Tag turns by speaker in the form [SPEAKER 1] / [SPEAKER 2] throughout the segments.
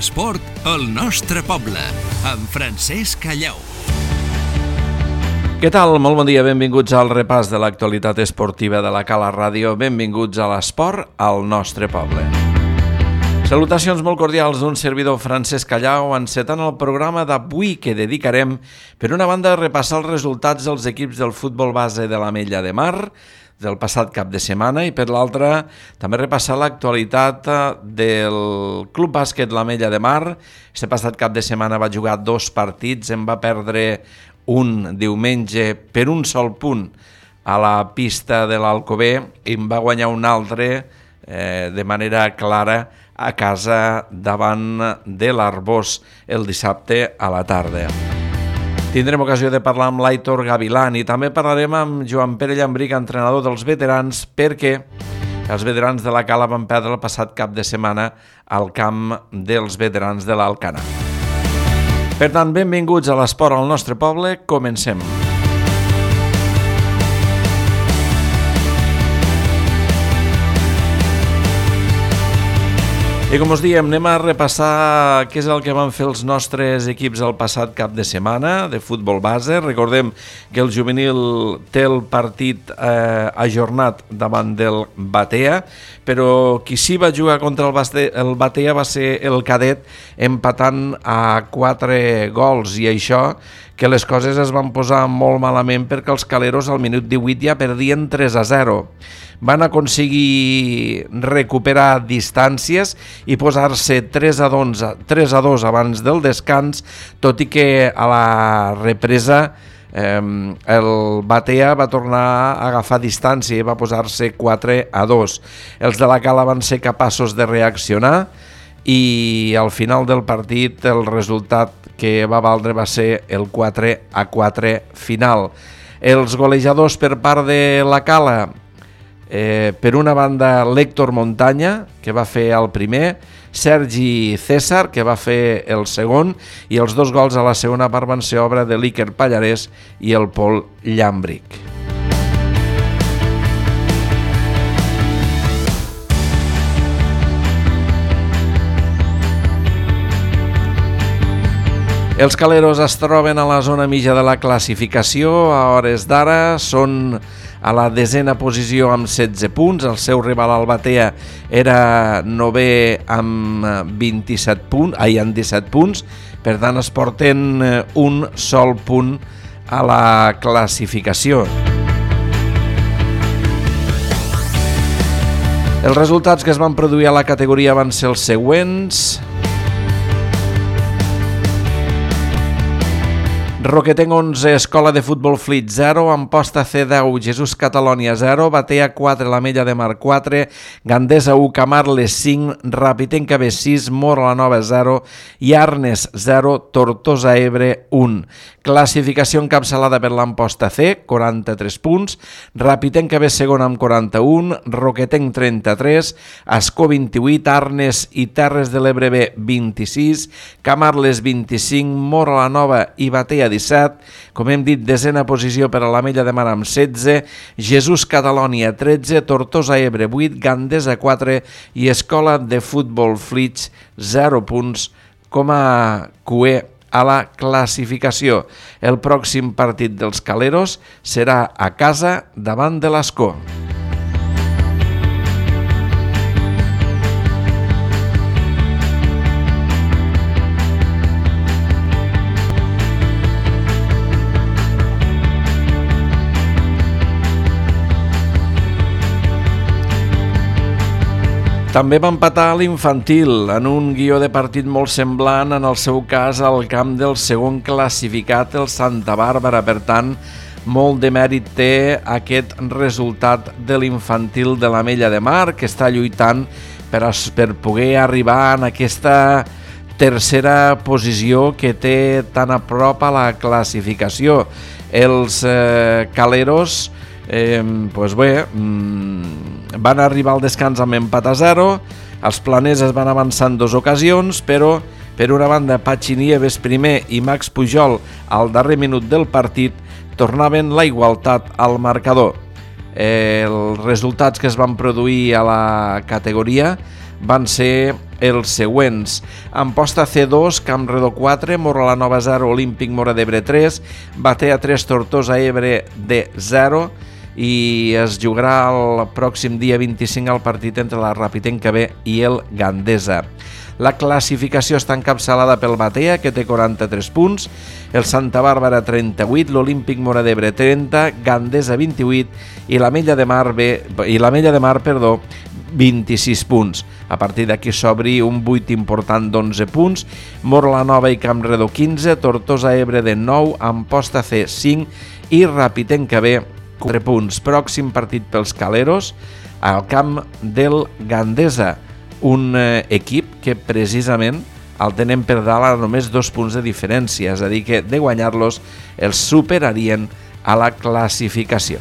[SPEAKER 1] L'esport al nostre poble, amb Francesc Callau.
[SPEAKER 2] Què tal? Molt bon dia, benvinguts al repàs de l'actualitat esportiva de la Cala Ràdio. Benvinguts a l'esport al nostre poble. Salutacions molt cordials d'un servidor Francesc Callau, encetant el programa d'avui que dedicarem, per una banda, a repassar els resultats dels equips del futbol base de l'Ametlla de Mar del passat cap de setmana i per l'altra també repassar l'actualitat del Club Bàsquet l'Ametlla de Mar. Este passat cap de setmana va jugar 2 partits, en va perdre un diumenge per un sol punt a la pista de l'Alcover i en va guanyar un altre de manera clara a casa davant de l'Arbós el dissabte a la tarda. Tindrem ocasió de parlar amb l'Aitor Gavilán i també parlarem amb Joan Pere Llambric, entrenador dels veterans, perquè els veterans de la Cala van perdre el passat cap de setmana al camp dels veterans de l'Alcanar. Per tant, benvinguts a l'esport al nostre poble, comencem. I com us diem, anem a repassar què és el que van fer els nostres equips el passat cap de setmana de futbol base. Recordem que el juvenil té el partit ajornat davant del Batea, però qui sí va jugar contra el Batea va ser el cadet, empatant a 4 gols, i això que les coses es van posar molt malament perquè els caleros al minut 18 ja perdien 3-0. Van aconseguir recuperar distàncies i posar-se 3-2 abans del descans, tot i que a la represa el Batea va tornar a agafar distància i va posar-se 4-2. Els de la Cala van ser capaços de reaccionar i al final del partit el resultat que va valdre va ser el 4-4 final. Els golejadors per part de la Cala, per una banda l'Héctor Montaña, que va fer el primer, Sergi César, que va fer el segon, i els 2 gols a la segona part van ser obra de l'Iker Pallarès i el Pol Llambric. Els caleros es troben a la zona mitja de la classificació. A hores d'ara són a la 10a posició amb 16 punts. El seu rival al Batea era 9è amb 17 punts. Per tant, es porten un sol punt a la classificació. Els resultats que es van produir a la categoria van ser els següents. Roquetenc 11, Escola de Futbol Flit 0, Amposta C10, Jesús Catalònia 0, Batea 4, l'Ametlla de Mar 4, Gandesa 1, Camarles 5, Rapitenca B 6, Mora la Nova 0 i Arnes 0, Tortosa Ebre 1. Classificació encapçalada per l'Amposta C, 43 punts, Rapitenca B segona amb 41, Roquetenc 33, Ascó 28, Arnes i Terres de l'Ebre B 26, Camarles 25, Mora la Nova i Batea 17, com hem dit, 10a posició per a l'Ametlla de Mar amb 16, Jesús Catalònia 13, Tortosa Ebre 8, Gandesa 4 i Escola de Futbol Flits 0 punts com a cué a la classificació. El pròxim partit dels caleros serà a casa davant de l'Ascó. També va empatar l'infantil en un guió de partit molt semblant, en el seu cas al camp del segon classificat, el Santa Bàrbara. Per tant, molt de mèrit té aquest resultat de l'infantil de l'Ametlla de Mar, que està lluitant per poder arribar en aquesta tercera posició que té tan a prop a la classificació. Els caleros van arribar al descans amb empat a 0, els planers es van avançar en 2 ocasions, però per una banda Patxi Nieves primer i Max Pujol al darrer minut del partit tornaven la igualtat al marcador. Els resultats que es van produir a la categoria van ser els següents. Amposta C2, Campredó 4, Mora-la-Nova 0, Olímpic Móra d'Ebre 3, Batea 3, Tortosa Ebre de 0, i es jugarà el pròxim dia 25 el partit entre la Rapitenca B i el Gandesa. La classificació està encapçalada pel Batea, que té 43 punts, el Santa Bàrbara 38, l'Olímpic Móra d'Ebre 30, Gandesa 28 i l'Ametlla de Mar 26 punts. A partir d'aquí s'obri un buit important d'11 punts, Mora-la-Nova i Campredó 15, Tortosa Ebre de 9, Amposta C 5 i Rapitenca B 4 punts. Pròxim partit pels Caleros al camp del Gandesa, un equip que precisament el tenen per dalt a només 2 punts de diferència, és a dir que de guanyar-los els superarien a la classificació.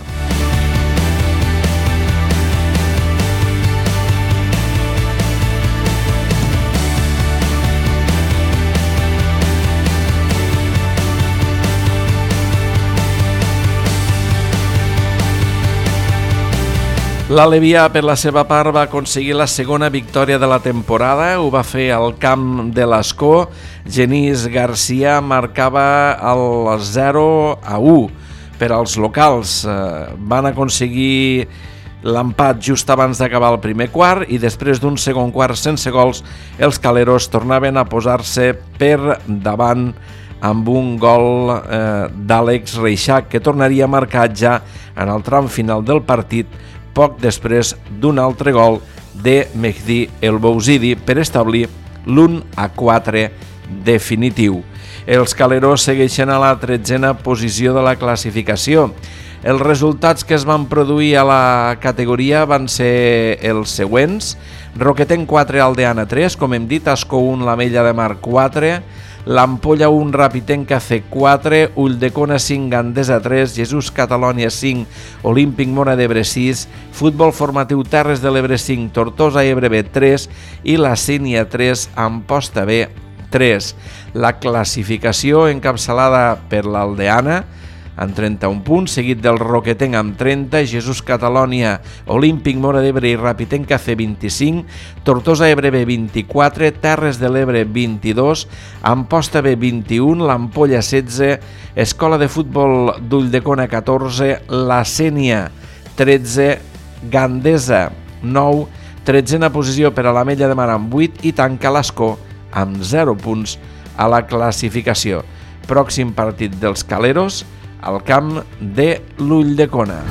[SPEAKER 2] L'Alevià, per la seva part, va aconseguir la segona victòria de la temporada. Ho va fer al camp de l'Escó. Genís Garcia marcava el 0-1 per als locals. Van aconseguir l'empat just abans d'acabar el primer quart i després d'un segon quart sense gols, els Caleros tornaven a posar-se per davant amb un gol d'Àlex Reixac, que tornaria a marcar ja en el tram final del partit, poc després d'un altre gol de Mehdi El Bouzidi per establir l'1-4 definitiu. Els Caleros segueixen a la 13a posició de la classificació. Els resultats que es van produir a la categoria van ser els següents: Roquetenc 4, Aldeana 3, com hem dit, Ascó 1, l'Ametlla de Mar 4, l'Ampolla 1, Rapitenca C 4, Ulldecona 5, Gandesa 3, Jesús Catalònia 5, Olímpic Móra d'Ebre 6, Futbol Formatiu Terres de l'Ebre 5, Tortosa Ebre B 3 i la Sínia 3, Amposta B 3. La classificació encapçalada per l'Aldeana amb 31 punts, seguit del Roquetenc amb 30, Jesús Catalònia, Olímpic Móra d'Ebre i Rapitenca C 25, Tortosa Ebre B 24, Terres de l'Ebre 22, Amposta B 21, l'Ampolla 16, Escola de Futbol d'Ulldecona 14, la Sénia 13, Gandesa 9, 13a posició per a l'Ametlla de Mar amb 8 i tanca l'Escó amb 0 punts a la classificació. Pròxim partit dels Caleros al camp de l'Ulldecona.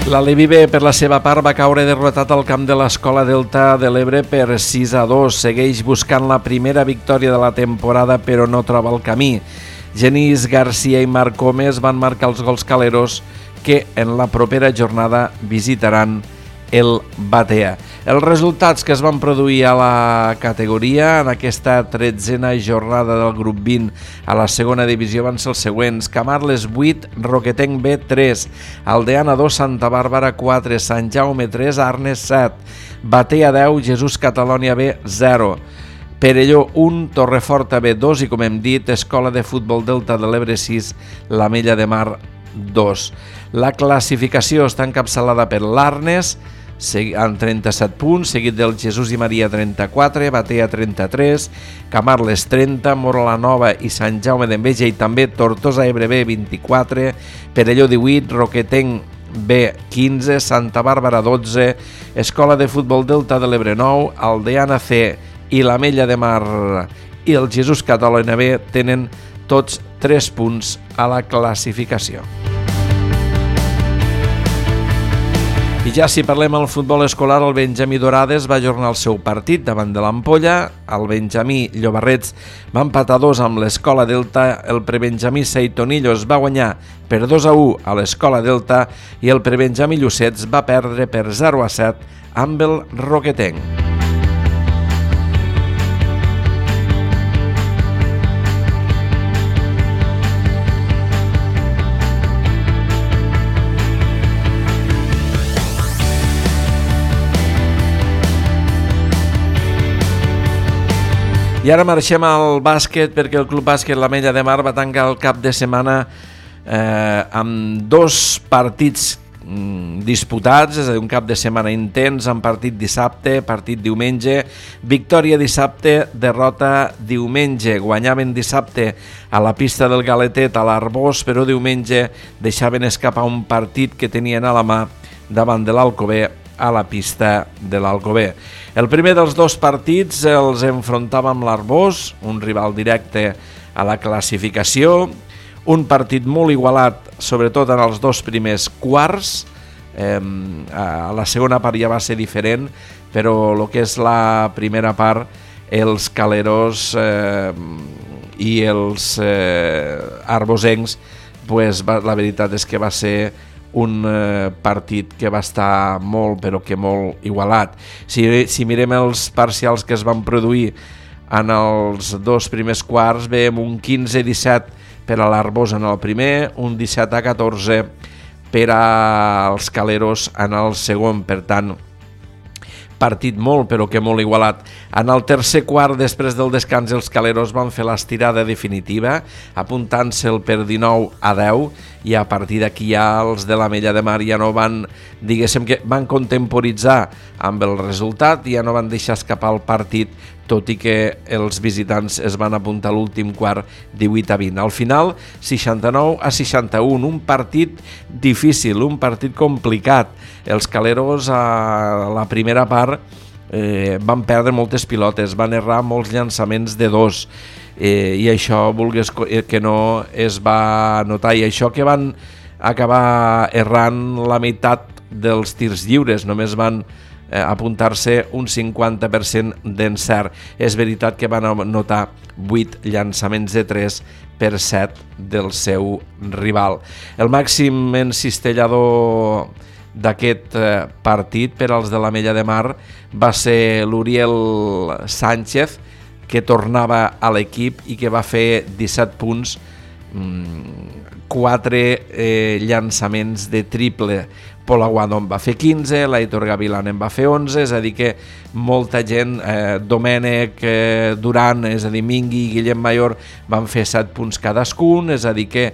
[SPEAKER 2] L'Alevi B, per la seva part, va caure derrotat al camp de l'Escola Delta de l'Ebre per 6-2. Segueix buscant la primera victòria de la temporada, però no troba el camí. Genís Garcia i Marc Gómez van marcar els gols caleros, que en la propera jornada visitaran el Batea. Els resultats que es van produir a la categoria en aquesta 13a jornada del grup 20 a la segona divisió van ser els següents: Camarles 8, Roquetenc B 3, Aldeana 2, Santa Bàrbara 4, Sant Jaume 3, Arnes 7, Batea 10, Jesús Catalònia B 0, Perelló 1, Torreforta B 2 i, com hem dit, Escola de Futbol Delta de l'Ebre 6, l'Ametlla de Mar 2. La classificació està encapçalada per l'Arnes amb 37 punts, seguit del Jesús i Maria 34, Batea 33, Camarles 30, Mora-la-Nova i Sant Jaume d'Enveja i també Tortosa Ebre B 24, Perelló 18, Roquetenc B 15, Santa Bàrbara 12, Escola de Futbol Delta de l'Ebre 9, Aldeana C i l'Ametlla de Mar i el Jesús Catalònia B tenen tots 3 punts a la classificació. I ja si parlem del futbol escolar, el Benjamí Dorades va ajornar el seu partit davant de l'Ampolla. El Benjamí Llobarrets va empatar 2 amb l'Escola Delta, el prebenjamí Seitonillos va guanyar per 2-1 a l'Escola Delta i el prebenjamí Llucets va perdre per 0-7 amb el Roquetenc. I ara marxem al bàsquet perquè el Club Bàsquet l'Ametlla de Mar va tancar el cap de setmana amb 2 partits disputats, és a dir, un cap de setmana intens, amb partit dissabte, partit diumenge, victòria dissabte, derrota diumenge. Guanyaven dissabte a la pista del Galetet a l'Arbós, però diumenge deixaven escapar un partit que tenien a la mà davant de l'Alcover a la pista de l'Alcover. El primer dels 2 partits els enfrontava amb l'Arbós, un rival directe a la classificació, un partit molt igualat, sobretot en els 2 primers quarts. A la segona part ja va ser diferent, però el que és la primera part, els caleros i els arbosencs, pues, la veritat és que va ser un partit que va estar molt, però que molt igualat. Si mirem els parcials que es van produir en els 2 primers quarts, veiem un 15-17 per a l'Arbós en el primer, un 17-14 per als caleros en el segon. Per tant, partit molt, però que molt igualat. En el tercer quart, després del descans, els caleros van fer l'estirada definitiva, apuntant-se'l per 19-10, i a partir d'aquí ja els de l'Ametlla de Mar ja no van, diguéssim que van contemporitzar amb el resultat, ja no van deixar escapar el partit, tot i que els visitants es van apuntar a l'últim quart 18-20. Al final, 69-61, un partit difícil, un partit complicat. Els caleros a la primera part van perdre moltes pilotes, van errar molts llançaments de 2, i això, vulgues que no, es va notar, i això que van acabar errant la meitat dels tirs lliures, només van apuntar-se un 50% d'encert. És veritat que van anotar 8 llançaments de 3 per 7 del seu rival. El màxim encistellador d'aquest partit per als de l'Ametlla de Mar va ser l'Uriel Sánchez, que tornava a l'equip i que va fer 17 punts, 4 llançaments de triple. Pol Aguado en va fer 15, l'Aitor Gavilán en va fer 11, és a dir que molta gent, Domènec, Duran, és a dir, Mingui i Guillem Mayor van fer 7 punts cadascun, és a dir que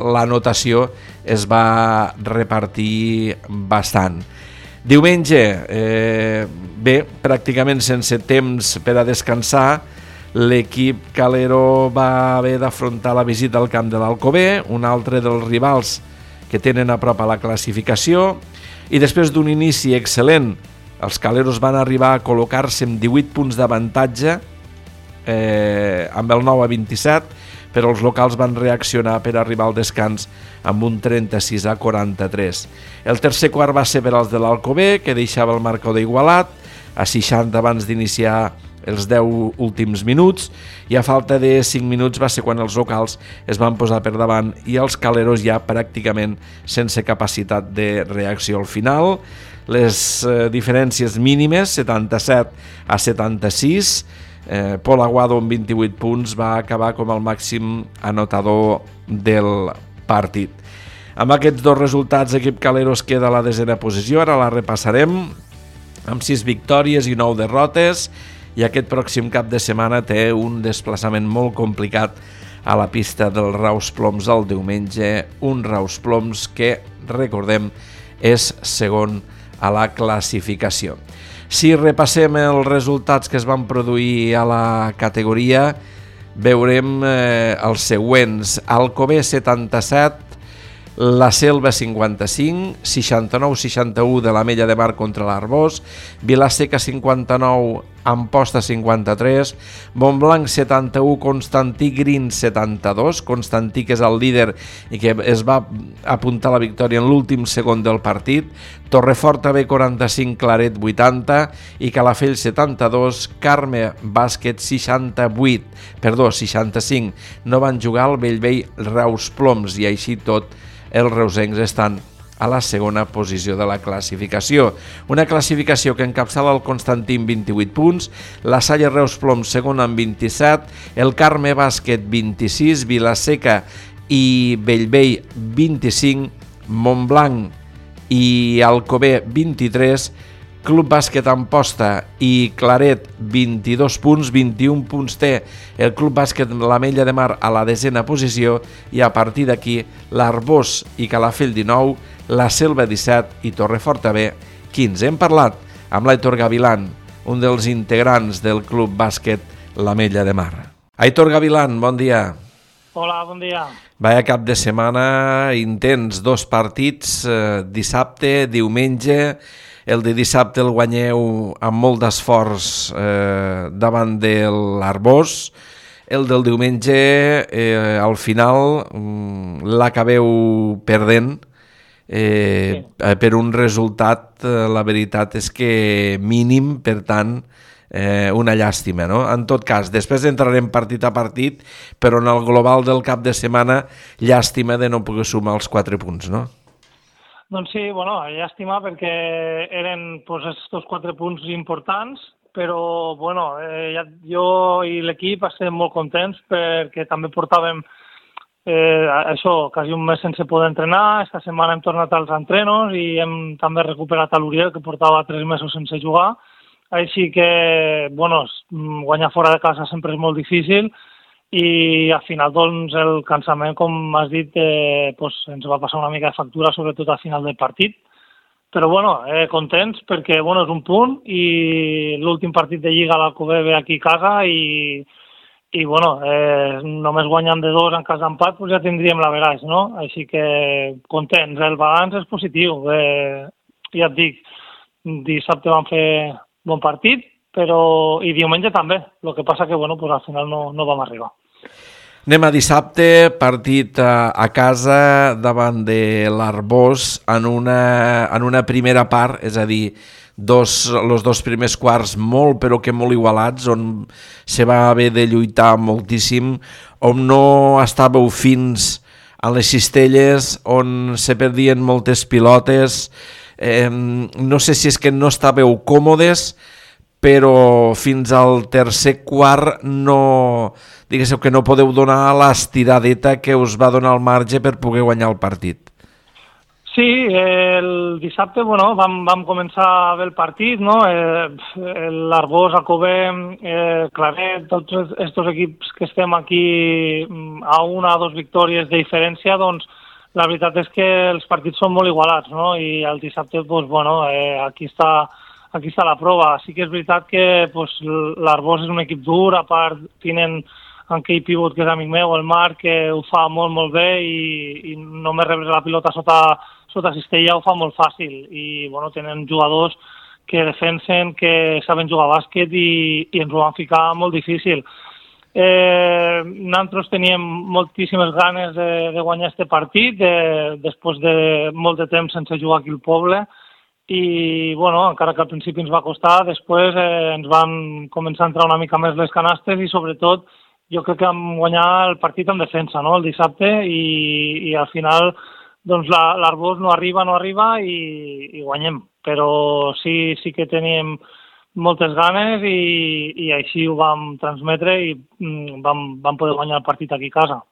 [SPEAKER 2] la notació es va repartir bastant. Diumenge, pràcticament sense temps per a descansar, l'equip calero va haver d'afrontar la visita al camp de l'Alcover, un altre dels rivals que tenen a prop a la classificació, i després d'un inici excel·lent, els caleros van arribar a col·locar-se amb 18 punts d'avantatge, amb el 9-27, però els locals van reaccionar per arribar al descans amb un 36-43. El tercer quart va ser per als de l'Alcover, que deixava el marcador igualat, a 60 abans d'iniciar els 10 últims minuts, i a falta de 5 minuts va ser quan els locals es van posar per davant i els caleros ja pràcticament sense capacitat de reacció al final. Les diferències mínimes, 77-76, Pol Aguado amb 28 punts va acabar com el màxim anotador del partit. Amb aquests 2 resultats, l'equip calero es queda a la 10a posició, ara la repassarem, amb 6 victòries i 9 derrotes, i aquest pròxim cap de setmana té un desplaçament molt complicat a la pista del Raus Ploms el diumenge, un Raus Ploms que, recordem, és segon a la classificació. Si repassem els resultats que es van produir a la categoria, veurem els següents: Alcover 77, la Selva 55, 69-61 de l'Ametlla de Mar contra l'Arbós, Vilaseca 59, Amposta 53, Montblanc 71, Constantí Green 72, Constantí que és el líder i que es va apuntar a la victòria en l'últim segon del partit, Torrefort AB 45, Claret 80 i Calafell 72, Carme Bàsquet 65, no van jugar al Bellvei Raus Ploms, i així tot els reusencs estan a la segona posició de la classificació. Una classificació que encapçala el Constantí amb 28 punts, la Salle Reus Ploms segon amb 27, el Carme Bàsquet 26, Vilaseca i Bellvei 25, Montblanc i Alcover 23, Club Bàsquet Amposta i Claret 22 punts, 21 punts té el Club Bàsquet l'Ametlla de Mar a la 10a posició i a partir d'aquí l'Arbós i Calafell 19, la Selva 17 i Torreforta B 15. Hem parlat amb l'Aitor Gavilán, un dels integrants del Club Bàsquet l'Ametlla de Mar. Aitor Gavilán, bon dia.
[SPEAKER 3] Hola, bon dia.
[SPEAKER 2] Vaya cap de setmana intens, 2 partits, dissabte, diumenge. El de dissabte el guanyeu amb molt d'esforç davant de l'Arbós. El del diumenge, al final, l'acabeu perdent per un resultat, la veritat és que mínim, per tant, una llàstima, no? En tot cas, després entrarem partit a partit, però en el global del cap de setmana, llàstima de no poder sumar els 4 punts, no?
[SPEAKER 3] Doncs sí, bueno, llàstima perquè eren estos 4 punts importants, però bueno, jo i l'equip estem molt contents perquè també portàvem això, quasi un mes sense poder entrenar. Esta setmana hem tornat als entrenos i hem també recuperat a l'Uriel, que portava 3 mesos sense jugar. Així que, bueno, guanyar fora de casa sempre és molt difícil i al final, doncs, el cansament, com has dit, ens va passar una mica de factura, sobretot al final del partit. Però, bueno, contents perquè, bueno, és un punt i l'últim partit de Lliga l'Alcover ve aquí a casa i bueno, només guanyant de 2 en cas d'empat, doncs ja tindríem l'averaix, no? Així que contents. El balanç és positiu. Ja et dic, dissabte vam fer bon partit, i diumenge també. El que passa que, bueno, al final no vam arribar.
[SPEAKER 2] Anem a dissabte, partit a casa davant de l'Arbós en una primera part, és a dir, els 2 primers quarts molt però que molt igualats, on se va haver de lluitar moltíssim, on no estàveu fins a les cistelles, on se perdien moltes pilotes. No sé si és que no estàveu còmodes, però fins al tercer quart diguéssiu que no podeu donar l'estiradeta que us va donar el marge per poder guanyar el partit.
[SPEAKER 3] Sí, el dissabte, bueno, vam començar bé el partit, no? L'Arbós, Alcover, Claret, tots aquests equips que estem aquí a 1 o 2 victòries de diferència, doncs la veritat és que els partits són molt igualats, no? I el dissabte, doncs, bueno, aquí està la prova. Sí que és veritat que l'Arbós és un equip dur, a part tenen en Key Pivot, que és amic meu, el Marc, que ho fa molt, molt bé i només rebre la pilota sota cistella ho fa molt fàcil. I, bueno, tenen jugadors que defensen, que saben jugar a bàsquet i ens ho van ficar molt difícil. Nosaltres teníem moltíssimes ganes de guanyar este partit, després de molt de temps sense jugar aquí al poble, i, bueno, encara que al principi ens va costar, després ens van començar a entrar una mica més les canastes i, sobretot, jo crec que vam guanyar el partit en defensa, no?, el dissabte, i al final, doncs, l'Arbós no arriba i guanyem. Però sí que teníem moltes ganes i així ho vam transmetre i vam poder guanyar el partit aquí a casa.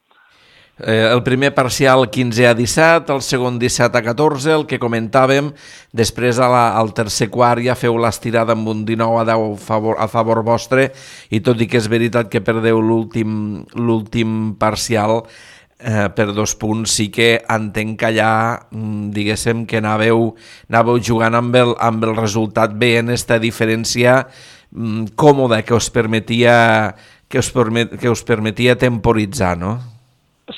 [SPEAKER 2] El primer parcial 15-17, el segon 17-14, el que comentàvem, després al tercer quart ja feu l'estirada amb un 19-10 a favor vostre i tot i que és veritat que perdeu l'últim parcial per 2 punts, sí que entenc que allà, diguéssim, que anàveu jugant amb el resultat bé en esta diferència còmoda que us permetia temporitzar, no?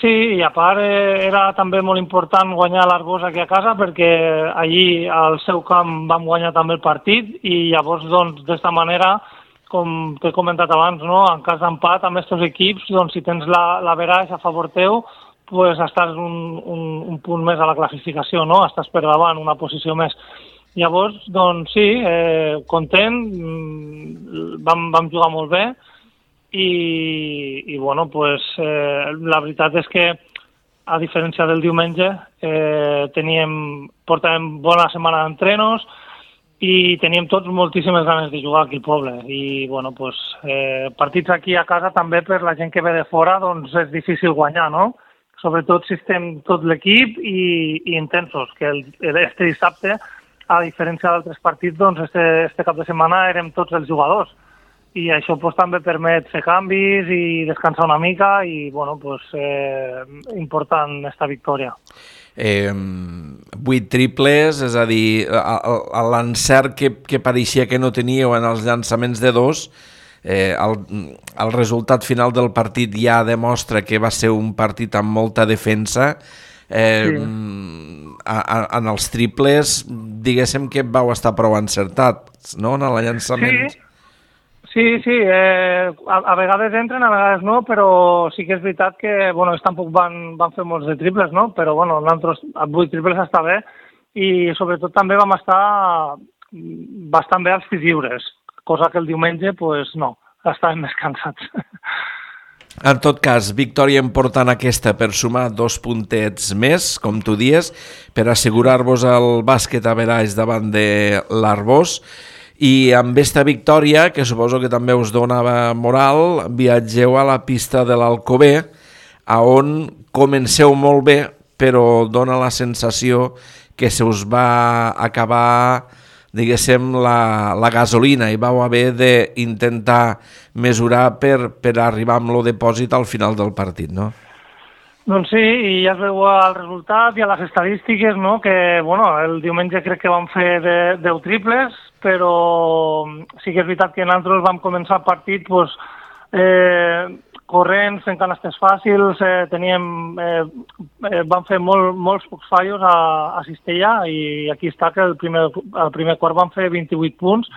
[SPEAKER 3] Sí, i a part era també molt important guanyar l'Arbós aquí a casa perquè allí al seu camp vam guanyar també el partit i llavors, doncs, d'esta manera, com t'he comentat abans, no? En cas d'empat amb aquests equips, doncs, si tens l'averaix a favor teu, pues estàs un punt més a la classificació, no? Estàs per davant, una posició més. Llavors, doncs sí, content, vam jugar molt bé, i bueno, pues, la veritat és que a diferència del diumenge portàvem bona setmana d'entrenos i teníem tots moltíssimes ganes de jugar aquí al poble i bueno, pues, partits aquí a casa també per la gent que ve de fora doncs és difícil guanyar, no? Sobretot si estem tot l'equip i intensos, que este dissabte a diferència d'altres partits, doncs este cap de setmana érem tots els jugadors i això pues, també permet fer canvis i descansar una mica i bueno, pues, important esta victòria.
[SPEAKER 2] 8 triples, és a dir, l'encert que pareixia que no teníeu en els llançaments de 2, el resultat final del partit ja demostra que va ser un partit amb molta defensa. Sí. En els triples, diguéssim que vau estar prou encertats, no?, en el llançament.
[SPEAKER 3] Sí, a vegades entren, a vegades no, però sí que és veritat que, bueno, ells tampoc van fer molts de triples, no?, però, bueno, nosaltres a 8 triples està bé i sobretot també vam estar bastant bé als tirs lliures, cosa que el diumenge, pues, no, estàvem més cansats.
[SPEAKER 2] En tot cas, victòria important aquesta per sumar 2 puntets més, com tu dies, per assegurar-vos el bàsquet a veraix davant de l'Arbós. I amb esta victòria, que suposo que també us donava moral, viatgeu a la pista de l'Alcover, on comenceu molt bé, però dona la sensació que se us va acabar, diguéssim, la gasolina i vau haver d'intentar mesurar per arribar amb el depòsit al final del partit, no?
[SPEAKER 3] Doncs sí, i ja es veu el resultat i a les estadístiques, no?, que, bueno, el diumenge crec que vam fer 10 triples, però sí que és veritat que nosaltres vam començar el partit pues, corrents, fent canastes fàcils, vam fer molts pocs fallos a Cistella i aquí està que el primer quart vam fer 28 punts.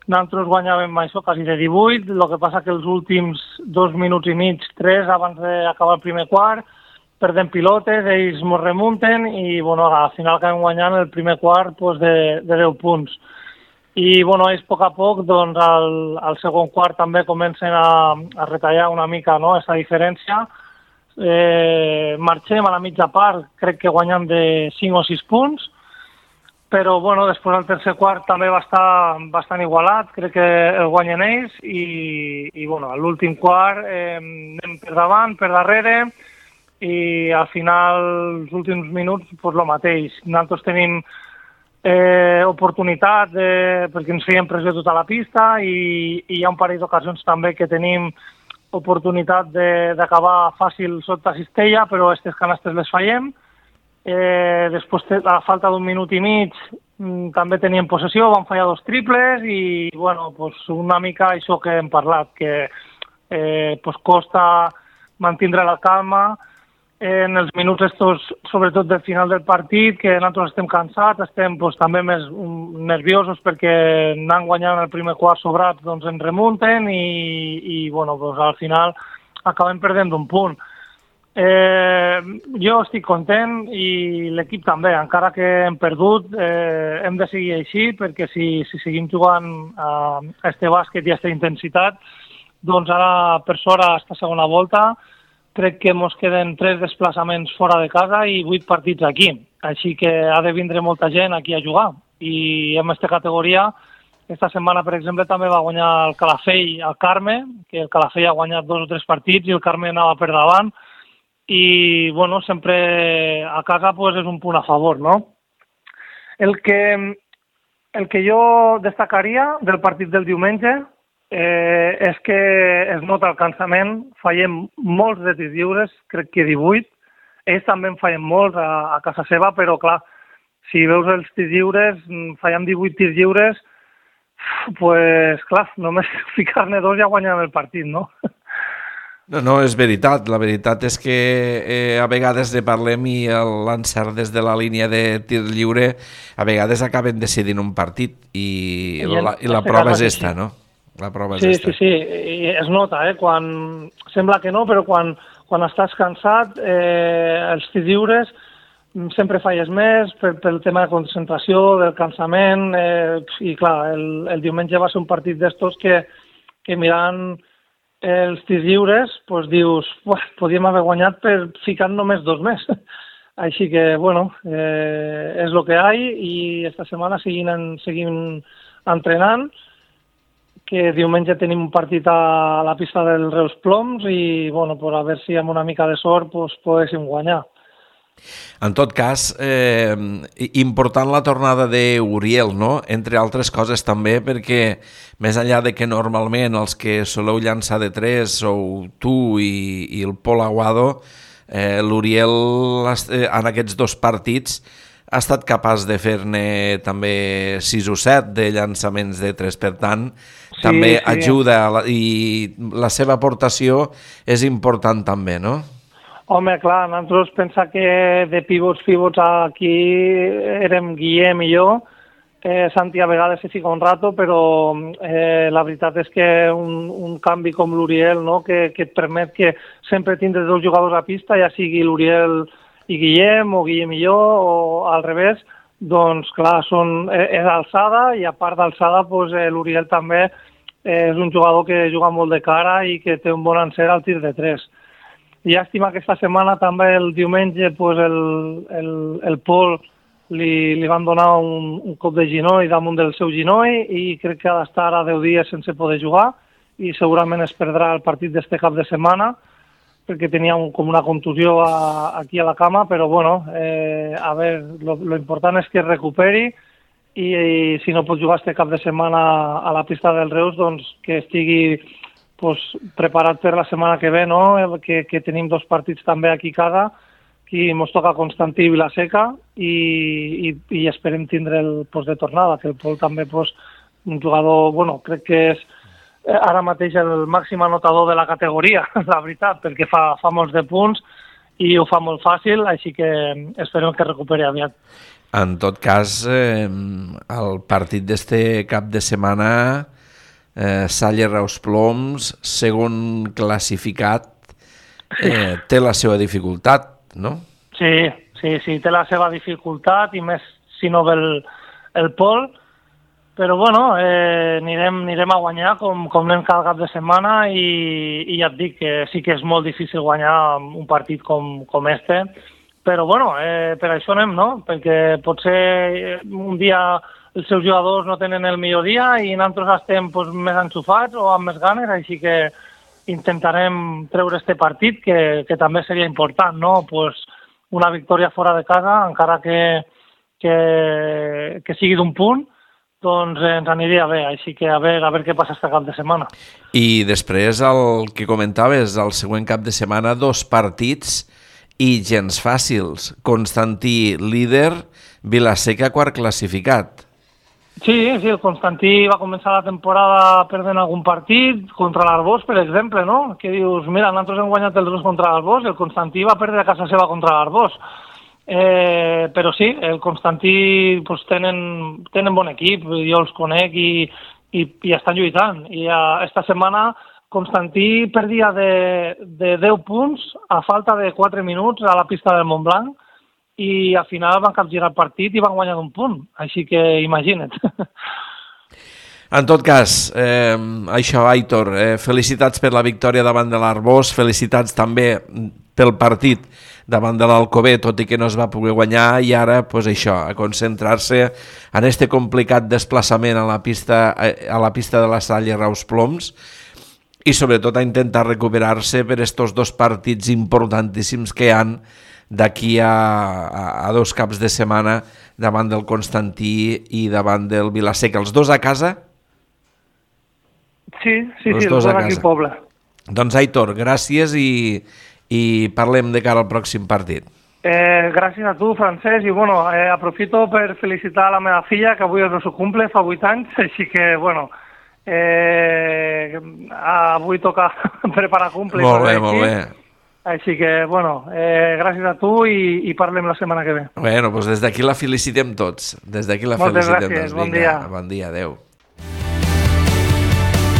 [SPEAKER 3] Nosaltres guanyàvem això quasi de 18, el que passa que els últims 2 minuts i mig, 3, abans d'acabar el primer quart, perdem pilotes, ells ens remunten i bueno, al final acabem guanyant el primer quart pues, de 10 punts. I bueno, ells a poc, doncs, al segon quart també comencen a retallar una mica, no?, aquesta diferència. Marxem a la mitja part, crec que guanyem de 5 o 6 punts, però bueno, després el tercer quart també va estar bastant igualat, crec que el guanyen ells i bueno, a l'últim quart anem per davant, per darrere i al final, els últims minuts, doncs el mateix. Nosaltres tenim oportunitat perquè ens feien pressió tota la pista i hi ha un parell d'ocasions també que tenim oportunitat d'acabar fàcil sota Cistella, però aquestes canastes les fallem. Després, a falta d'un minut i mig, també teníem possessió, vam fallar 2 triples i bueno, pues una mica això que hem parlat, que pues costa mantindre la calma en els minuts estos, sobretot del final del partit, que nosaltres estem cansats, estem pues, també més nerviosos perquè anant guanyant el primer quart sobrats, doncs ens remunten i bueno, pues, al final acabem perdent d'un punt. Jo estic content i l'equip també, encara que hem perdut, hem de seguir així perquè si seguim jugant a este bàsquet i a aquesta intensitat, doncs ara per sort a esta segona volta crec que ens queden 3 desplaçaments fora de casa i 8 partits aquí. Així que ha de vindre molta gent aquí a jugar. I en aquesta categoria, esta setmana, per exemple, també va guanyar el Calafell al Carme, que el Calafell ha guanyat 2 o 3 partits i el Carme anava per davant. I, bueno, sempre a casa pues, és un punt a favor, no? El que jo destacaria del partit del diumenge és que es nota el cansament, fallem molts de tirs lliures, crec que 18, ells també en fallen molts a casa seva, però clar, si veus els tirs lliures, fallem 18 tirs lliures, pues clar, només ficar-ne 2 ja guanyem el partit, no?
[SPEAKER 2] No, és veritat. La veritat és que a vegades ne parlem i l'encert des de la línia de tir lliure a vegades acaben decidint un partit i la prova és esta, no? La prova és esta.
[SPEAKER 3] Sí, i es nota, quan sembla que no, però quan estàs cansat, els tirs lliures sempre falles més pel tema de concentració, del cansament, i clar, el diumenge va ser un partit d'estos que mirant els tirs lliures, doncs dius, podíem haver guanyat per ficar només 2 més. Així que, bueno, és el que hi ha i esta setmana seguim entrenant, que diumenge tenim un partit a la pista del Reus Ploms i, bueno, a veure si amb una mica de sort poguéssim guanyar.
[SPEAKER 2] En tot cas, important la tornada d'Uriel, no? Entre altres coses també, perquè més enllà de que normalment els que soleu llançar de 3 sou tu i el Pol Aguado, l'Uriel en aquests 2 partits ha estat capaç de fer-ne també 6 o 7 de llançaments de 3, per tant, també ajuda i la seva aportació és important també, no?
[SPEAKER 3] Home, clar, nosaltres pensa que de pivots aquí érem Guillem i jo. Santi a vegades se fica un rato, però la veritat és que un canvi com l'Uriel, no?, que et permet que sempre tindres 2 jugadors a pista, ja sigui l'Uriel i Guillem o Guillem i jo, o al revés, doncs clar, és alçada, i a part d'alçada l'Uriel també és un jugador que juga molt de cara i que té un bon encert al tir de 3. Llàstima que aquesta setmana també el diumenge el Pol li van donar un cop de ginoll damunt del seu ginoll i crec que ha d'estar a 10 dies sense poder jugar i segurament es perdrà el partit d'este cap de setmana perquè tenia com una contusió aquí a la cama, però bueno, a veure, lo important és que es recuperi i si no pot jugar este cap de setmana a la pista del Reus, doncs que estigui preparat per la setmana que ve, no? Que tenim 2 partits també aquí a casa, que ens toca Constantí i Vilaseca i esperem tindre el post de tornada, que el Pol també un jugador, bueno, crec que és ara mateix el màxim anotador de la categoria, la veritat, perquè fa molts de punts i ho fa molt fàcil, així que esperem que recuperi aviat.
[SPEAKER 2] En tot cas, el partit d'este cap de setmana, Salle Reus Ploms, segon classificat, té la seva dificultat, no?
[SPEAKER 3] Sí, té la seva dificultat i més si no ve el Pol, però bueno, anirem a guanyar com anem cada cap de setmana i ja et dic que sí que és molt difícil guanyar un partit com este, però bueno, per això anem, no? Perquè potser un dia els seus jugadors no tenen el millor dia i nosaltres estem més enxufats o amb més ganes, així que intentarem treure este partit, que també seria important, no? Una victòria fora de casa, encara que sigui d'un punt, doncs ens aniria bé, així que a veure què passa este cap de setmana.
[SPEAKER 2] I després el que comentaves, el següent cap de setmana, 2 partits i gens fàcils. Constantí líder, Vilaseca quart classificat.
[SPEAKER 3] Sí, el Constantí va començar la temporada perdent algun partit contra l'Arbós, per exemple, no? Que dius, mira, nosaltres hem guanyat els 2 contra l'Arbós, el Constantí va perdre a casa seva contra l'Arbós. Però sí, el Constantí tenen bon equip, jo els conec i estan lluitant. I esta setmana Constantí perdia de 10 punts a falta de 4 minuts a la pista del Montblanc, i al final van capgirar el partit i van guanyar d'un punt, així que imagina't.
[SPEAKER 2] En tot cas, això, Aitor, felicitats per la victòria davant de l'Arbós, felicitats també pel partit davant de l'Alcover, tot i que no es va poder guanyar, i ara, això, a concentrar-se en este complicat desplaçament a la pista de la Salle Reus Ploms, i sobretot a intentar recuperar-se per estos 2 partits importantíssims que hi han d'aquí a 2 caps de setmana davant del Constantí i davant del Vilaseca. Els 2 a casa?
[SPEAKER 3] Sí, els 2 aquí al poble.
[SPEAKER 2] Doncs Aitor, gràcies i parlem de cara al pròxim partit.
[SPEAKER 3] Gràcies a tu, Francesc, i bueno, aprofito per felicitar la meva filla, que avui és el seu cumple, fa 8 anys, així que, bueno, avui toca preparar cumple.
[SPEAKER 2] Molt bé.
[SPEAKER 3] Així que, bueno, gràcies a tu i parlem la setmana que ve.
[SPEAKER 2] Bueno, doncs des d'aquí la felicitem tots.
[SPEAKER 3] Moltes gràcies, bon dia.
[SPEAKER 2] Bon dia, adeu.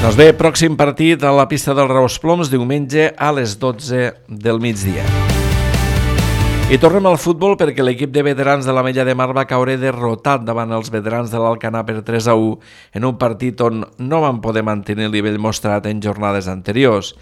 [SPEAKER 2] Doncs bé, pròxim partit a la pista del Reus Ploms, diumenge a les 12 del migdia. I tornem al futbol perquè l'equip de veterans de l'Ametlla de Mar va caure derrotat davant els veterans de l'Alcanar per 3-1 en un partit on no van poder mantenir el nivell mostrat en jornades anteriors.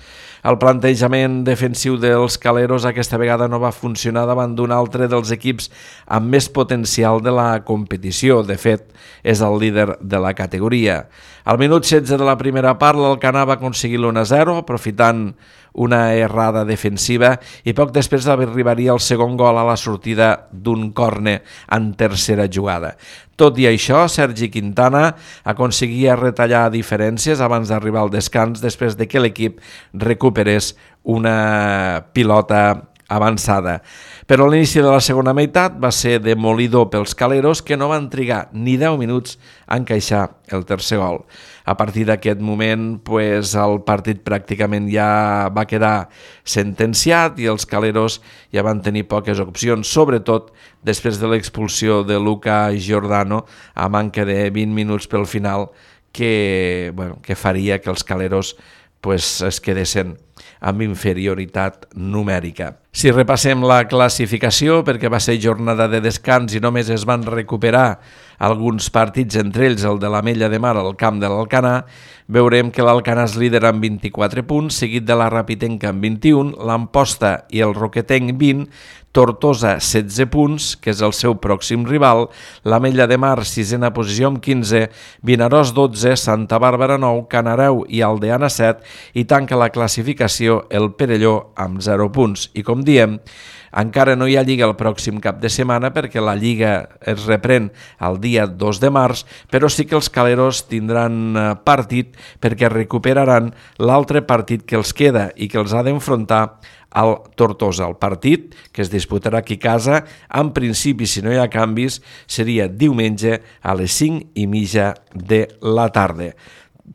[SPEAKER 2] El plantejament defensiu dels caleros aquesta vegada no va funcionar davant d'un altre dels equips amb més potencial de la competició. De fet, és el líder de la categoria. Al minut 16 de la primera part, l'Alcanar va aconseguir l'1-0, aprofitant una errada defensiva, i poc després arribaria el segon un gol a la sortida d'un córner en tercera jugada. Tot i això, Sergi Quintana aconseguia retallar diferències abans d'arribar al descans després de que l'equip recuperés una pilota avançada. Però l'inici de la segona meitat va ser demolidor pels caleros, que no van trigar ni 10 minuts a encaixar el tercer gol. A partir d'aquest moment, el partit pràcticament ja va quedar sentenciat i els caleros ja van tenir poques opcions, sobretot després de l'expulsió de Luca Giordano a manca de 20 minuts pel final, que faria que els caleros es quedessin amb inferioritat numèrica. Si repassem la classificació, perquè va ser jornada de descans i només es van recuperar alguns partits, entre ells el de l'Ametlla de Mar al camp de l'Alcanar, veurem que l'Alcanar és líder amb 24 punts, seguit de la Rapitenca amb 21, l'Amposta i el Roquetenc 20, Tortosa 16 punts, que és el seu pròxim rival, l'Ametlla de Mar 6a posició amb 15, Vinaròs 12, Santa Bàrbara 9, Canareu i Aldeana 7 i tanca la classificació el Perelló amb 0 punts. I com diem, encara no hi ha Lliga el pròxim cap de setmana perquè la Lliga es reprèn el dia 2 de març, però sí que els caleros tindran partit perquè recuperaran l'altre partit que els queda i que els ha d'enfrontar al Tortosa. El partit, que es disputarà aquí a casa, en principi, si no hi ha canvis, seria diumenge a les 5:30 de la tarda.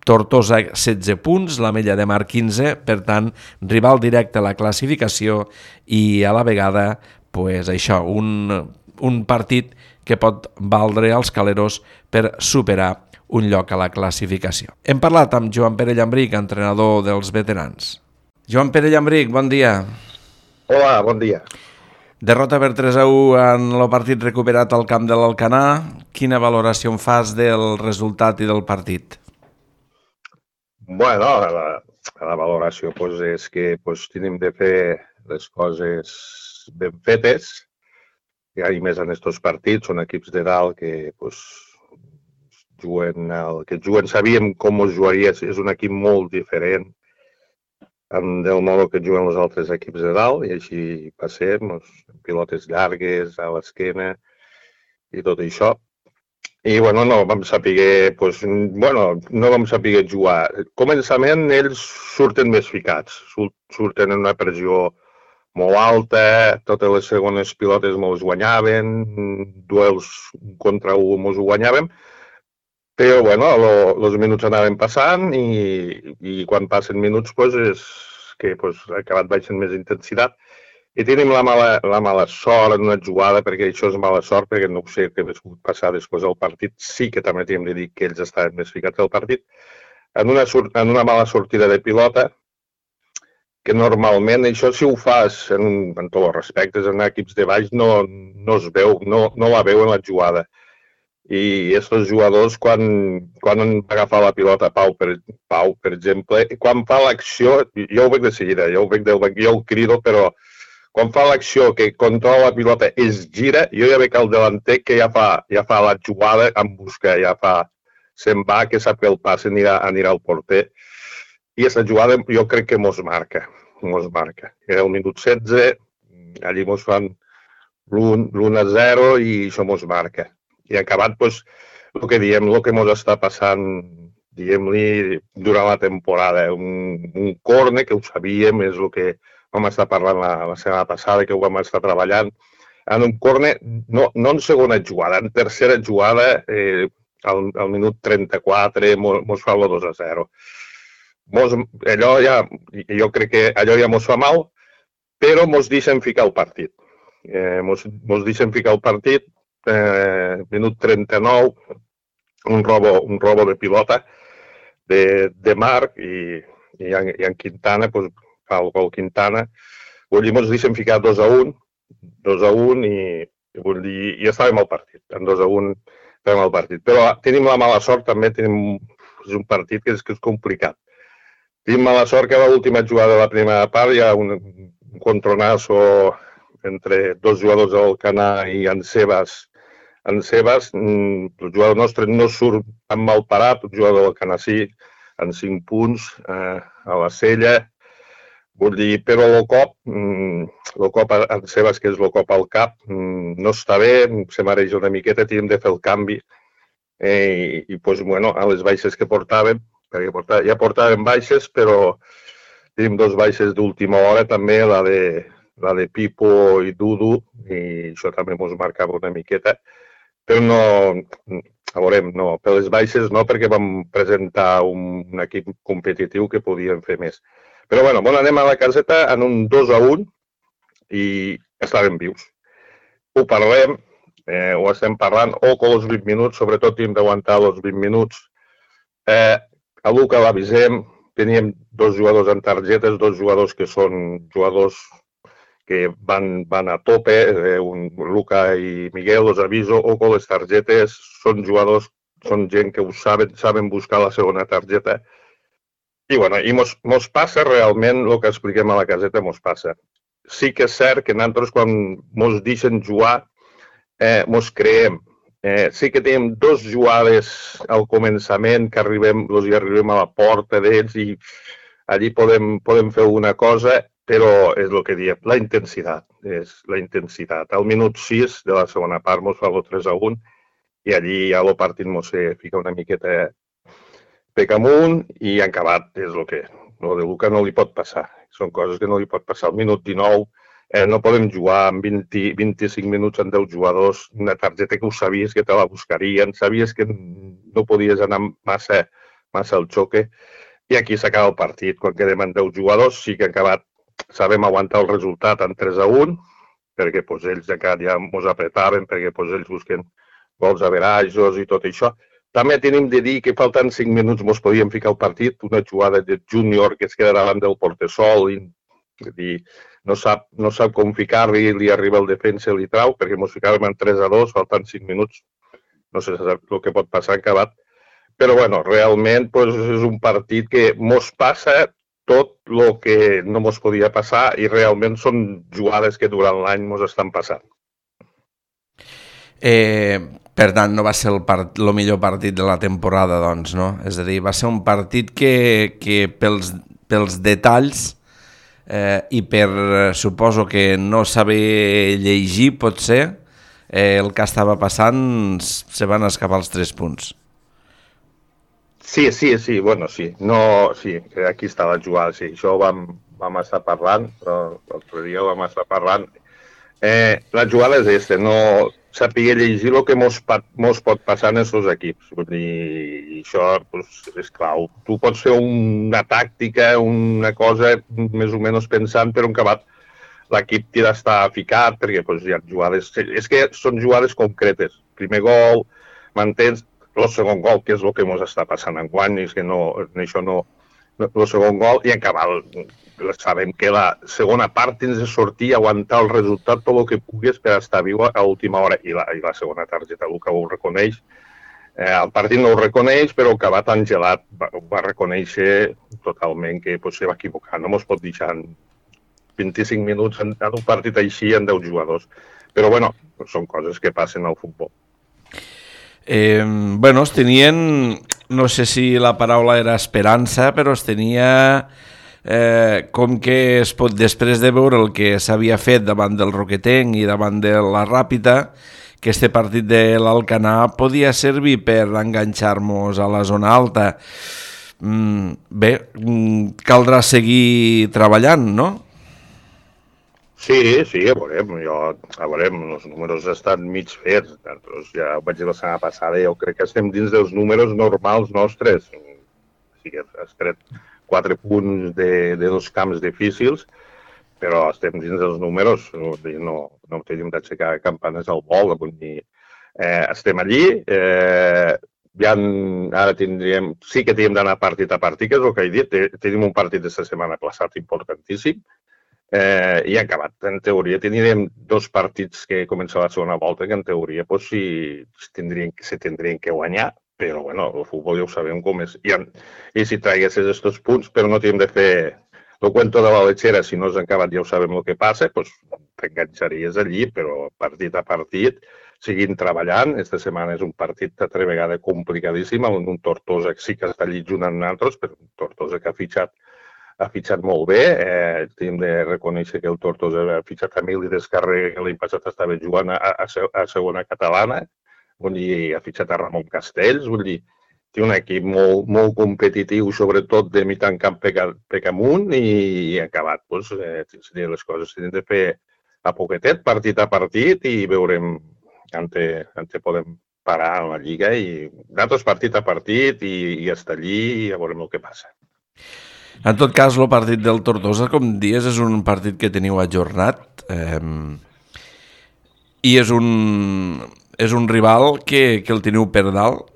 [SPEAKER 2] Tortosa 16 punts, l'Ametlla de Mar 15, per tant, rival directe a la classificació i a la vegada, un partit que pot valdre als caleros per superar un lloc a la classificació. Hem parlat amb Joan Pere Llambric, entrenador dels veterans. Joan Pere Llambric, bon dia.
[SPEAKER 4] Hola, bon dia.
[SPEAKER 2] Derrota per 3-1 en el partit recuperat al camp de l'Alcanar. Quina valoració en fas del resultat i del partit?
[SPEAKER 4] Bueno, la valoració és que tenim de fer les coses ben fetes, i més en aquests partits, són equips de dalt que juguen, sabíem com es jugaria, és un equip molt diferent del modo que juguen els altres equips de dalt, i així passem, pilotes llargues a l'esquena i tot això. I no vam saber jugar. Començament ells surten més ficats, surten en una pressió molt alta, totes les segones pilotes mos guanyaven, duels contra un mos guanyàvem, però els minuts anaven passant i quan passen minuts és que ha acabat baixant més intensitat. I tenim la mala sort en una jugada, perquè això és mala sort, perquè no sé què ha passat després del partit. Sí que també hem de dir que ells estaven més ficats al partit. En una mala sortida de pilota, que normalment això si ho fas, en tots els respectes, en equips de baix, no es veu, no la veuen la jugada. I aquests jugadors, quan han agafat la pilota, Pau, per exemple, quan fa l'acció, jo ho veig de seguida, jo el crido, però quan fa l'acció que controla la pilota es gira, jo ja veig el delanter que ja fa la jugada en busca, se'n va, que sap que el pas anirà al porter. I aquesta jugada jo crec que mos marca. Era el minut 16, allí mos fan l'1-0 i això mos marca. I acabat, el que diem, el que mos està passant, diguem-li, durant la temporada. Un córner, que ho sabíem, és el que vam estar parlant la setmana passada, que ho vam estar treballant. En un córner, no en segona jugada, en tercera jugada, al minut 34, mos fa el 2-0. Jo crec que allò ja mos fa mal, però mos deixen ficar el partit. Minut 39, un robo de pilota de Marc i en Quintana, fa el gol Quintana. Vull dir, ens deixen ficar 2-1 i vull dir, ja estàvem al partit. En 2-1 estàvem al partit. Però tenim la mala sort, també és un partit que és complicat. Tenim mala sort que a l'última jugada de la primera part hi ha un contronazo entre dos jugadors del Alcanar i en Sebas. El jugador nostre no surt tan mal parat, el jugador del Alcanar sí, en 5 punts a la cella. Vull dir, però el cop en Sebas, que és el cop al cap, no està bé, se mareja una miqueta, tenim de fer el canvi. I doncs, bueno, a les baixes que portàvem, perquè ja portàvem baixes, però tenim 2 baixes d'última hora també, la de Pipo i Dudu, i això també ens marcava una miqueta. Però no, a veurem, no, per les baixes no, perquè vam presentar un equip competitiu que podíem fer més. Però bueno, anem a la caseta en un 2-1 i estàvem vius. Ho parlem, ho estem parlant, que els 20 minuts, sobretot hem d'aguantar els 20 minuts. A Luca l'avisem, teníem 2 jugadors en targetes, 2 jugadors que són jugadors que van a tope, Luca i Miguel, els aviso, que les targetes són jugadors, són gent que ho saben buscar la segona targeta. I bueno, mos passa realment el que expliquem a la caseta, mos passa. Sí que és cert que nosaltres quan mos deixen jugar, mos creem. Sí que tenim 2 jugades al començament que arribem a la porta d'ells i allí podem fer una cosa, però és el que diem, la intensitat. És la intensitat. Al minut 6 de la segona part mos fa el 3-1 i allí ja el partit mos fica una miqueta pec amunt i han acabat. És el que el de Luca no li pot passar. Són coses que no li pot passar. Al minut 19 no podem jugar amb 25 minuts amb 10 jugadors, una targeta que ho sabies que te la buscarien, sabies que no podies anar massa al xoque, i aquí s'acaba el partit. Quan quedem amb 10 jugadors sí que han acabat, sabem aguantar el resultat en 3-1, perquè ells encara ja ens apretaven, perquè ells busquen gols averajos i tot això. També tenim de dir que faltant 5 minuts ens podíem ficar al partit, una jugada de Júnior que es queda davant del portesol i no sap com ficar-li, li arriba el defensa i li trau, perquè ens ficàvem en 3-2, faltant 5 minuts, no sé el que pot passar en acabat. Però bueno, realment és un partit que ens passa tot el que no ens podia passar i realment són jugades que durant l'any ens estan passant.
[SPEAKER 2] Per tant, no va ser el millor partit de la temporada, doncs, no? És a dir, va ser un partit que pels detalls i suposo que no saber llegir, potser, el que estava passant, se van escapar els 3 punts.
[SPEAKER 4] Sí, bueno, sí. No, sí, aquí està la jugada, sí. Això vam estar parlant, l'altre dia vam estar parlant. La jugada és aquesta, no saber llegir el que mos pot passar en aquests equips. I això és clau. Tu pots fer una tàctica, una cosa més o menys pensant, però en acabat l'equip t'ha d'estar ficat, perquè hi ha jugades... És que són jugades concretes. Primer gol, m'entens? El segon gol, que és el que ens està passant enguany, és que això no... El segon gol, i en cabal, sabem que la segona part tens de sortir, aguantar el resultat, tot el que puguis per estar viu a última hora, i la segona targeta, el que ho reconeix. El partit no ho reconeix, però el que va tan gelat va reconèixer totalment que se va equivocar. No ens pot deixar 25 minuts en un partit així en 10 jugadors. Però, bueno, són coses que passen al futbol.
[SPEAKER 2] Bueno, es tenien, no sé si la paraula era esperança, però es tenia com que després de veure el que s'havia fet davant del Roquetenc i davant de la Ràpita, que este partit de l'Alcanar podia servir per enganxar-nos a la zona alta. Bé, caldrà seguir treballant, no?
[SPEAKER 4] Sí, a veurem, els números estan mig fets. Ja ho vaig dir la setmana passada, jo crec que estem dins dels números normals nostres. Sí que has tret 4 punts de 2 camps difícils, però estem dins dels números, no tenim d'aixecar campanes al vol, estem allí, ara sí que tenim d'anar partit a partit, que és el que he dit, tenim un partit d'aquesta setmana passat importantíssim, i ha acabat. En teoria tindríem 2 partits que començava la segona volta, que en teoria se tindrien que guanyar, però bueno, el futbol ja ho sabem com és. I si traguessis aquests punts, però no tenim de fer el cuento de la lechera, si no has acabat ja ho sabem el que passa, t'enganxaries allí, però partit a partit, seguint treballant. Esta setmana és un partit altra vegada complicadíssim, amb un Tortosa que sí que està allí junt amb nosaltres, però un Tortosa que ha fitxat ha fitxat molt bé. Hem de reconèixer que el Tortosa ha fitxat a Emili Descarrega, que l'any passat estava jugant a segona catalana. Vull dir, ha fitxat a Ramon Castells. Vull dir, té un equip molt competitiu, sobretot de mitjan camp pec amunt, i acabat. Doncs, les coses s'han de fer a poquetet, partit a partit, i veurem on podem parar a la Lliga. I nosaltres partit a partit i estar allí i ja veurem el que passa.
[SPEAKER 2] En tot cas, el partit del Tortosa, com dius, és un partit que teniu ajornat i és un rival que el teniu per dalt.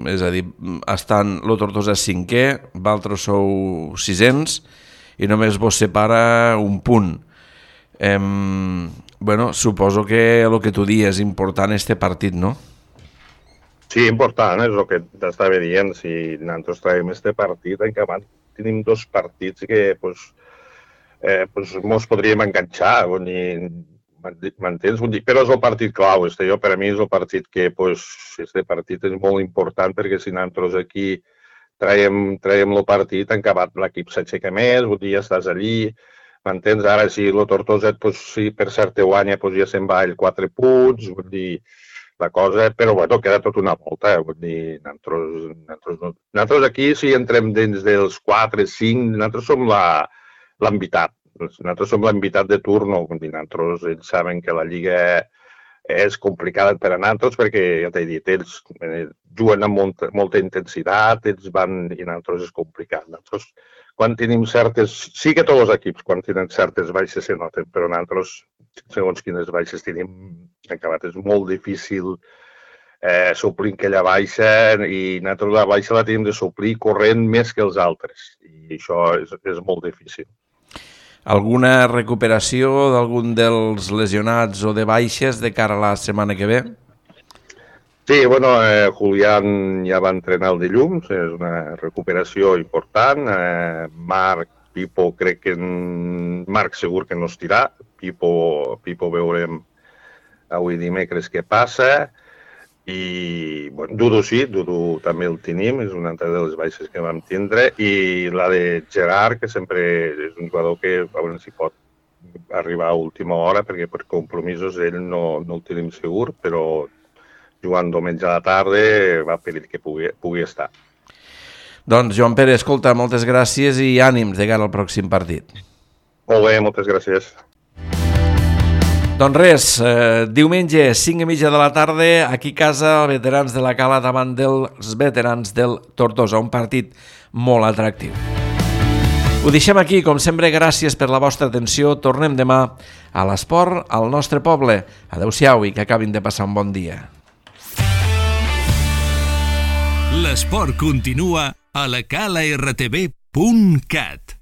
[SPEAKER 2] És a dir, el Tortosa és 5è, vosaltres sou 600 i només vos separa un punt. Suposo que el que tu dius és important este partit, no?
[SPEAKER 4] Sí, important, és el que t'estava dient. Si nosaltres traiem este partit, encara tenim 2 partits que mos podríem enganxar, m'entens? Però és el partit clau. Per a mi és el partit que este partit és molt important, perquè si nosaltres aquí traiem el partit, encara l'equip s'aixeca més, ja estàs allí. M'entens? Ara, si el Tortosa, si per cert te guanya, ja se'n va ell 4 punts, la cosa, però queda tot una volta. Nosaltres aquí, si entrem dins dels 4-5, nosaltres som l'envitat. Nosaltres som l'envitat de turno. Ells saben que la Lliga és complicada per a nosaltres perquè, ja t'he dit, ells juguen amb molta intensitat, ells van i nosaltres és complicat. Nosaltres, quan tenim certes... Sí que tots els equips, quan tenen certes baixes, se noten, però nosaltres, segons quines baixes tenim acabat, és molt difícil suplir aquella baixa, i nosaltres la baixa la tenim de suplir corrent més que els altres, i això és molt difícil.
[SPEAKER 2] Alguna recuperació d'algun dels lesionats o de baixes de cara a la setmana que ve?
[SPEAKER 4] Sí, Julián ja va entrenar el dilluns, és una recuperació important. Marc, Pipo, crec que Marc segur que no estirà. Pipo veurem avui dimecres què passa. I Dudu sí, Dudu també el tenim, és una altra de les baixes que vam tindre. I la de Gerard, que sempre és un jugador que a veure si pot arribar a última hora, perquè per compromisos ell no el tenim segur, però jugant diumenge a la tarda va pedir que pugui estar.
[SPEAKER 2] Doncs, Joan Pere, escolta, moltes gràcies i ànims de cara al pròxim partit.
[SPEAKER 4] Molt bé, moltes gràcies.
[SPEAKER 2] Doncs res, diumenge, 5:30 de la tarda, aquí a casa, veterans de la Cala davant dels veterans del Tortosa, un partit molt atractiu. Ho deixem aquí, com sempre, gràcies per la vostra atenció. Tornem demà a l'esport al nostre poble. Adéu-siau i que acabin de passar un bon dia.
[SPEAKER 1] L'esport continua a la calartv.cat.